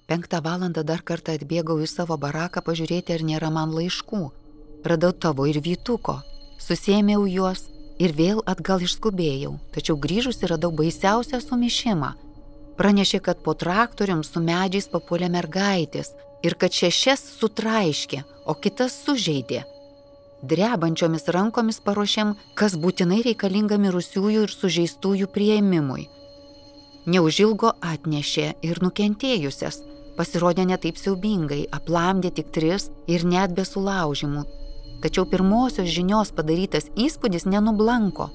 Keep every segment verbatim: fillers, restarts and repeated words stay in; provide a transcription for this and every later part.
Penktą valandą dar kartą atbėgau į savo baraką pažiūrėti, ar nėra man laiškų. Radau tavo ir Vytuko. Susėmiau juos ir vėl atgal išskubėjau, tačiau grįžusi radau baisiausią sumišimą. Pranešė, kad po traktorium su medžiais papuolė mergaitės ir kad šešias sutraiškė, o kitas sužeidė. Drebančiomis rankomis paruošėm, kas būtinai reikalinga mirusiųjų ir sužeistųjų priėmimui. Neužilgo atnešė ir nukentėjusias. Pasirodė ne taip siaubingai, aplamdė tik tris ir net be sulaužimų. Tačiau pirmosios žinios padarytas įspūdis nenublanko.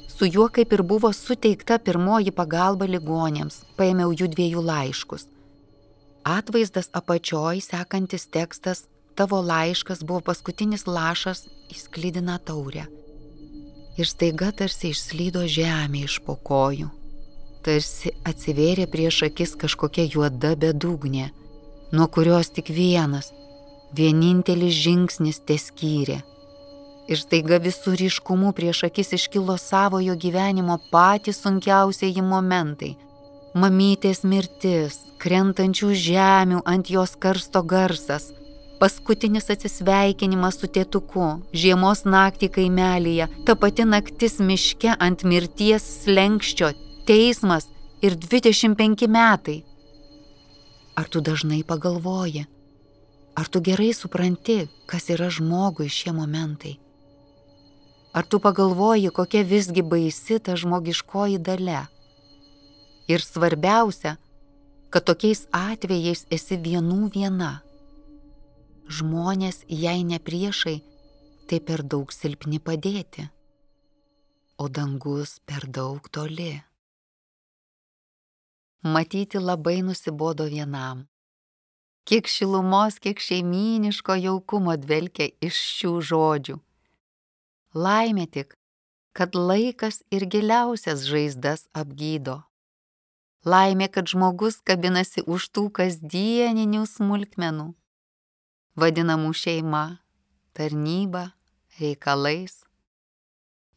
Su juo kaip ir buvo suteikta pirmoji pagalba ligonėms, paėmiau jų dviejų laiškus. Atvaizdas apačioj, sekantis tekstas, tavo laiškas buvo paskutinis lašas į sklidiną taurę. Ir staiga tarsi išslydo žemė iš po kojų. Tarsi atsivėrė prieš akis kažkokia juoda bedugnė, nuo kurios tik vienas, vienintelis žingsnis teskyrė. Ir staiga visų ryškumų prieš akis iškilo savojo gyvenimo patys sunkiausieji momentai. Mamytės mirtis, krentančių žemių ant jos karsto garsas, paskutinis atsisveikinimas su tėtuku, žiemos naktį kaimelyje, ta pati naktis miške ant mirties slenkščio, teismas ir dvidešimt penki metai. Ar tu dažnai pagalvoji? Ar tu gerai supranti, kas yra žmogui šie momentai? Ar tu pagalvoji, kokia visgi baisi ta žmogiškoji dalia? Ir svarbiausia, kad tokiais atvejais esi vienų viena. Žmonės, jei ne priešai, tai per daug silpni padėti, o dangus per daug toli. Matyti labai nusibodo vienam. Kiek šilumos, kiek šeimyniško jaukumo dvelkia iš šių žodžių. Laimė tik, kad laikas ir giliausias žaizdas apgydo. Laimė, kad žmogus kabinasi už tų kasdieninių smulkmenų, vadinamų šeima, tarnyba, reikalais.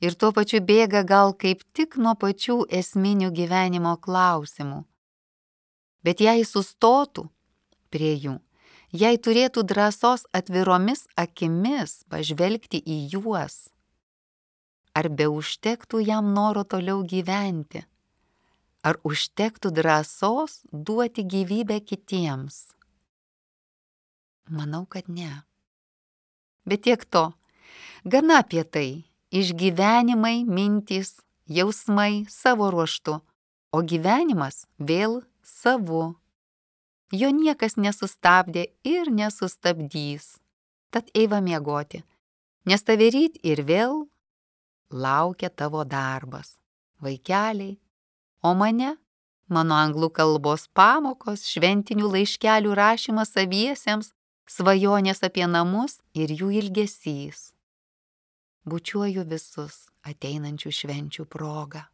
Ir tuo pačiu bėga gal kaip tik nuo pačių esminių gyvenimo klausimų. Bet jei sustotų prie jų, jei turėtų drąsos atviromis akimis pažvelgti į juos, ar be užtektų jam noro toliau gyventi, ar užtektų drąsos duoti gyvybę kitiems? Manau, kad ne. Bet tiek to, gana apie tai, išgyvenimai, mintys, jausmai savo ruožtu, o gyvenimas vėl savu. Jo niekas nesustabdė ir nesustabdys. Tad eiva miegoti, nes tave ryt ir vėl laukia tavo darbas. Vaikeliai, o mane, mano anglų kalbos pamokos, šventinių laiškelių rašymas saviesiems, svajonės apie namus ir jų ilgesys. Bučiuoju visus ateinančių švenčių progą.